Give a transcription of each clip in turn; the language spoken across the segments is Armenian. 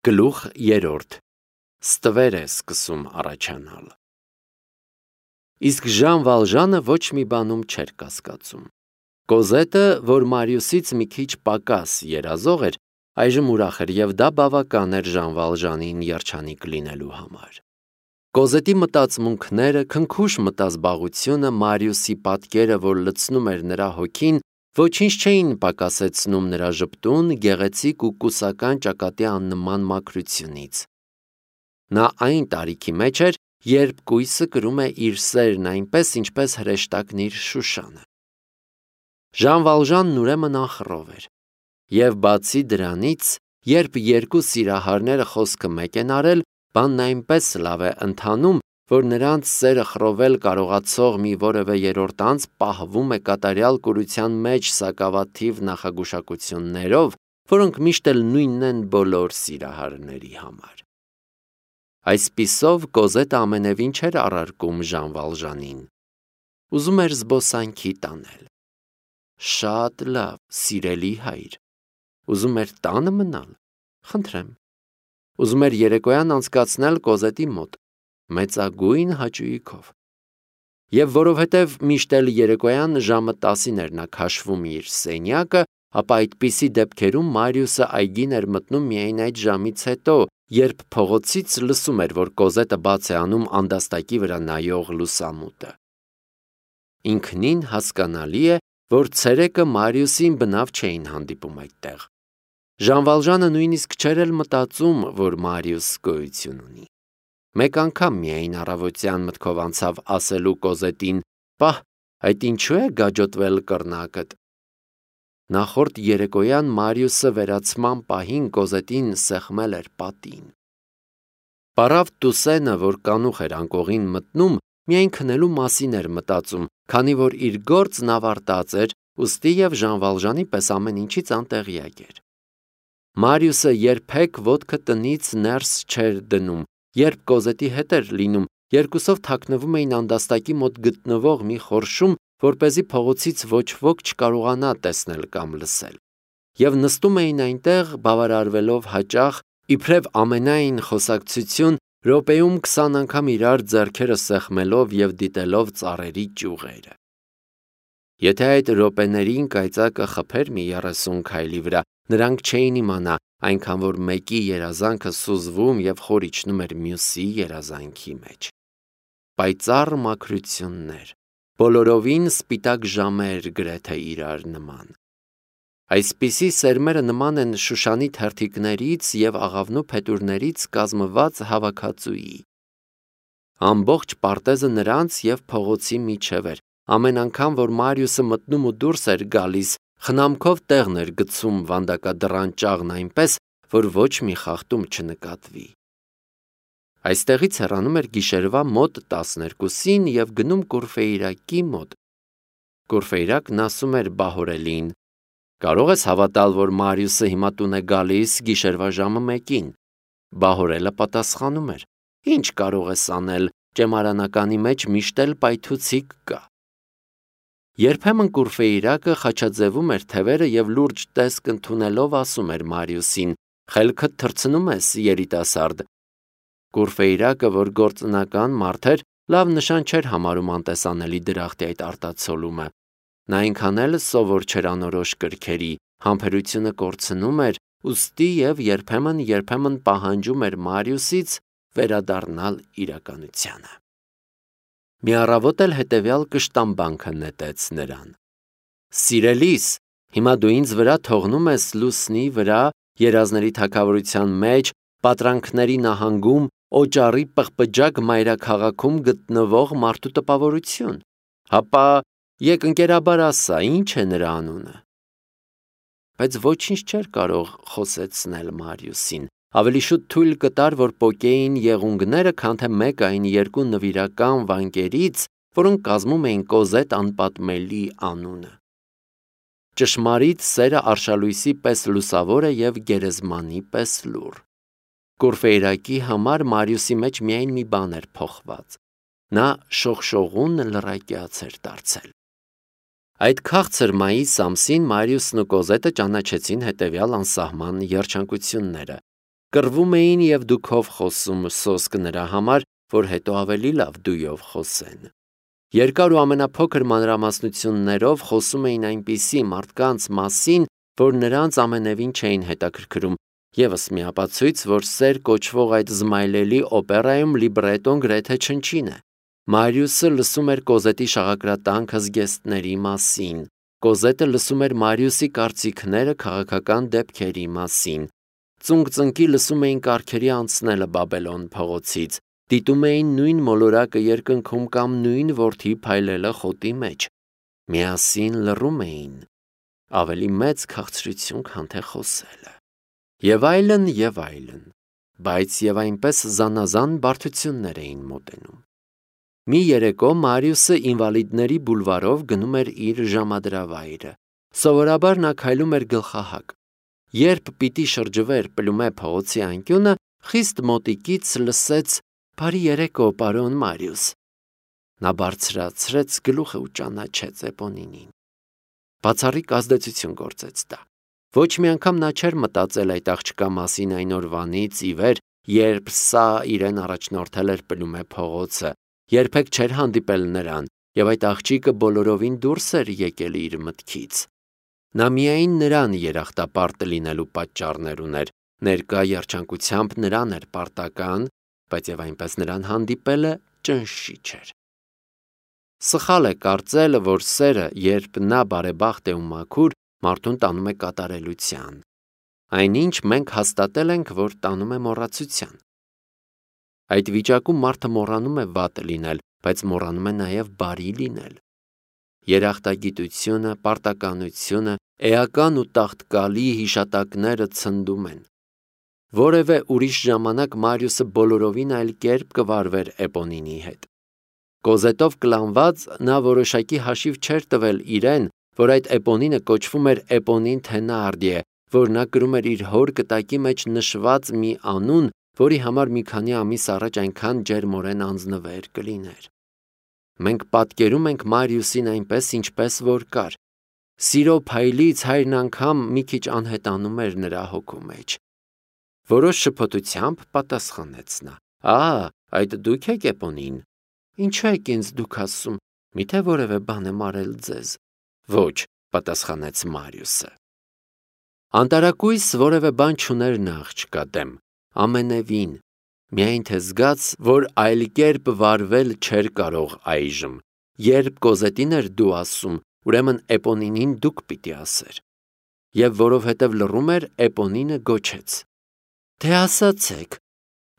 Գլուխ 3 Ստվեր է սկսում առաջանալ։ Իսկ Ժան Վալժանը ոչ մի բանում չէր կասկածում։ Կոզետը, որ Մարիուսից մի քիչ պակաս երազող էր, այժմ ուրախ էր և դա բավական էր Ժան Վալժանին երջանիկ լինելու համար։ Կոզետի մտածմունքները, քնքուշ մտազբաղությունը, Մարիուսի պատկերը, որ լցնում էր նրա հոգին, ոչինչ չէին պակասեցնում նրա ժպտուն, գեղեցիկ ու կուսական ճակատի աննման մաքրությունից։ Նա այն տարիքի մեջ էր, երբ կույսը կրում է իր սերն այնպես, ինչպես հրեշտակն իր Շուշանը։ Ժան Վալժանն ուրեմն անխռով էր։ Եվ բացի դրանից, երբ երկու սիրահարները խոսքը մեկ են արել, բանն այնպես լավ է ընթանում, որ նրանց սերը խռովել կարողացող մի որևէ երրորդ անձ պահվում է կատարյալ կուրության մեջ սակավաթիվ նախագուշակություններով, որոնք միշտ էլ նույնն են բոլոր սիրահարների համար։ Այսպիսով Կոզետը ամենևին չէր առարկում Ժան Վալժանին։ Ուզում էր զբոսանքի տանել։ Շատ լավ, սիրելի հայր։ Ուզում էր տանը մնալ։ Խնդրեմ։ Ուզում էր երեկոյան անցկացնել Կոզետի մոտ, մեծագույն հաճույքով։ Եվ որովհետև միշտ էլ երեկոյան ժամը 10-ին էր նա քաշվում իր սենյակը, ապա այդպիսի դեպքերում Մարիուսը այգին էր մտնում միայն այդ ժամից հետո, երբ փողոցից լսում էր, որ Կոզետը բաց է անում անդաստակի վրա նայող լուսամուտը։ Ինքնին հասկանալի է, որ ցերեկը Մարիուսին բնավ չէին հանդիպում այդտեղ։ Ժան Վալժանը նույնիսկ չէր էլ մտածում, որ Մարիուս գոյություն ունի։ Մեկ անգամ միայն առավոտյան մտքով անցավ ասելու Կոզետին. «Պահ, այդ ինչու է գաջոտվել կռնակդ»։ Նախորդ երեկոյան Մարիուսը վերացման պահին Կոզետին սեղմել էր պատին։ Պարավ Տուսենը, որ կանուխ էր անկողին մտնում, միայն քնելու մասին էր մտածում, քանի որ իր գործն ավարտած էր, ուստի և Ժան Վալժանի պես ամեն ինչից անտեղյակ էր։ Մարիուսը երբեք ոտքը տնից ներս չէր դնում, երբ Կոզետի հետ էր լինում, երկուսով թաքնվում էին անդաստակի մոտ գտնվող մի խորշում, որպեսզի փողոցից ոչ ոք չկարողանա տեսնել կամ լսել։ Եվ նստում էին այնտեղ, բավարարվելով հաճախ, իբրև ամենայն խոսակցություն, րոպեում 20 անգամ իրար ձեռքերը սեղմելով և դիտելով ծառերի ճյուղերը։ Եթե այդ րոպեներին կայծակը խփեր մի 30 քայլի վրա, նրանք չէին իմանա, այնքան որ մեկի երազանքը սուզվում և խոր իջնում էր մյուսի երազանքի մեջ։ Պայծառ մաքրություններ, բոլորովին սպիտակ ժամեր գրեթե իրար նման։ Այսպիսի սերմերը նման են Շուշանի թերթիկներից և աղավնու փետուրներից կազմված հավաքածուի։ Ամբողջ պարտեզը նրանց և փողոցի միջև էր, ամեն անգամ, որ Մարիուսը մտնում ու դուրս էր գալիս, խնամքով տեղն էր գցում վանդակադռան ճաղն այնպես, որ ոչ մի խախտում չնկատվի։ Այստեղից հեռանում էր գիշերվա մոտ 12-ին և գնում Կուրֆեյրակի մոտ։ Կուրֆեյրակն ասում էր Բահորելին. «Կարող ես հավատալ, որ Մարիուսը հիմա տուն է գալիս գիշերվա ժամը 1-ին»։ Բահորելը պատասխանում էր. «Ինչ կարող ես անել, ճեմարանականի մեջ միշտ էլ պայթուցիկ կա»։ Երբեմն Կուրֆեյրակը խաչաձևում էր թևերը և լուրջ տեսք ընդունելով ասում էր Մարիուսին. «Խելքդ թռցնում ես, երիտասարդ»։ Կուրֆեյրակը, որ գործնական մարդ էր, լավ նշան չէր համարում անտեսանելի դրախտի այդ արտացոլումը։ Նա այնքան էլ սովոր չէր անորոշ կրքերի, համբերությունը կորցնում էր, ուստի և երբեմն պահանջում էր Մարիուսից վերադառնալ իրականությանը։ Մի առավոտ էլ հետևյալ կշտամբանքը նետեց նրան. «Սիրելիս, հիմա դու ինձ վրա թողնում ես լուսնի վրա, երազների թագավորության մեջ, պատրանքների նահանգում, օճառի պղպջակ մայրաքաղաքում գտնվող մարդու տպավորություն։ Հապա եկ ընկերաբար ասա, ինչ է նրա անունը»։ Բայց ոչինչ չէր կարող խոսեցնել Մարիուսին, ավելի շուտ թույլ կտար, որ պոկեին եղունգները, քան թե մեկ այն երկու նվիրական վանկերից, որոնք կազմում էին Կոզետ անպատմելի անունը։ Ճշմարիտ սերը արշալույսի պես լուսավոր է և գերեզմանի պես լուռ։ Կուրֆեյրակի համար Մարիուսի մեջ միայն մի բան էր փոխված։ Նա շողշողուն լռակյաց էր դարձել։ Այդ քաղցր մայիս ամսին Մարիուսն ու Կոզետը ճանաչեցին հետևյալ անսահման երջանկությունները։ կռվում էին և դուքով խոսում սոսկ նրա համար, որ հետո ավելի լավ դույով խոսեն։ Երկար ու ամենափոքր մանրամասնություններով խոսում էին այնպիսի մարդկանց մասին, որ նրանց ամենևին չէին հետաքրքրում, ևս մի ապացույց, որ սեր կոչվող այդ զմայլելի օպերայում լիբրետոն գրեթե չնչին է։ Մարիուսը լսում էր Կոզետի շաղակրատանքը զգեստների մասին։ Կոզետը լսում էր Մարիուսի կարծիքները քաղաքական դեպքերի մասին։ Ծունկ-ծնկի լսում էին կառքերի անցնելը Բաբելոն փողոցից, դիտում էին նույն մոլորակը երկնքում կամ նույն որդի փայլելը խոտի մեջ։ Միասին լռում էին, ավելի մեծ քաղցրություն, քան թե խոսելը։ Եվ այլն, բայց և այնպես զանազան բարդություններ էին մոտենում։ Մի երեկո Մարիուսը ինվալիդների բուլվարով գնում էր իր ժամադրավայրը։ Սովորաբար նա քայլում էր գլխահակ։ Երբ պիտի շրջվեր Պլումե փողոցի անկյունը, խիստ մոտիկից լսեց. «Բարի երեկո, պարոն Մարիուս»։ Նա բարձրացրեց գլուխը ու ճանաչեց Էպոնինին։ Բացառիկ ազդեցություն գործեց դա։ Ոչ մի անգամ նա չէր մտածել այդ աղջկա մասին այն օրվանից ի վեր, երբ սա իրեն առաջնորդել էր Պլումե փողոցը, երբեք չէր հանդիպել նրան, և այդ աղջիկը բոլորովին դուրս էր եկել իր մտքից։ Նա միայն նրան երախտապարտ լինելու պատճառներ ուներ, ներկա երջանկությամբ նրան էր պարտական, բայց և այնպես նրան հանդիպելը ճնշիչ էր։ Սխալ է կարծել, որ սերը, երբ նա բարեբախտ է ու մաքուր, մարդուն տանում է կատարելության։ Այնինչ մենք հաստատել ենք, որ տանում է մոռացության։ Այդ վիճակում մարդը մոռանում է վատ լինել, բայց մոռանում է նաև բարի լինել։ Երախտագիտությունը, պարտականությունը, էական ու տաղտկալի հիշատակները ցնդում են։ Որևէ ուրիշ ժամանակ Մարիուսը բոլորովին այլ կերպ կվարվեր Էպոնինի հետ։ Կոզետով կլանված նա որոշակի հաշիվ չէր տվել իրեն, որ այդ Էպոնինը կոչվում էր Էպոնին Թենարդիե, որ նա կրում էր իր հոր կտակի մեջ նշված մի անուն, որի համար մի քանի ամիս առաջ այնքան ջերմորեն անձնվեր կլիներ։ Մենք պատկերում ենք Մարիուսին այնպես, ինչպես որ կար։ Սիրո փայլից հայրն անգամ մի քիչ անհետանում էր նրա հոգու մեջ։ Որոշ շփոթությամբ պատասխանեց նա. այդ դուք եք Էպոնին։ Ինչու եք ինձ դուք ասում, միթե որևէ բան եմ արել ձեզ։ Ոչ, պատասխանեց Մարիուսը։ Անտարակույս որևէ բան չուներ նա աղջկա դեմ, ամենևին, միայն թե զգաց, որ այլ կերպ վարվել չէր կարող այժմ։ Երբ Կոզետին էր դու ասում, ուրեմն Էպոնինին դուք պիտի ասեր։ Եվ որովհետև լռում էր, Էպոնինը գոչեց. Թե ասացեք։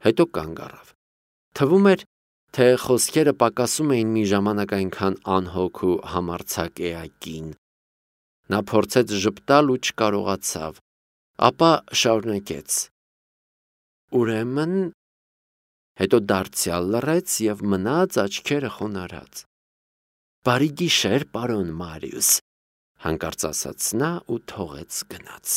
Հետո կանգ առավ։ Թվում էր, թե խոսքերը պակասում էին մի ժամանակ այնքան անհոգ ու համարձակ էակին։ Նա փորձեց ժպտալ ու չկարողացավ, ապա շարունակեց. Ուրեմն, հետո դարձյալ լռեց և մնաց աչքերը խոնարհած։ Բարի գիշեր, պարոն Մարիուս, հանկարծ ասաց նա ու թողեց գնաց։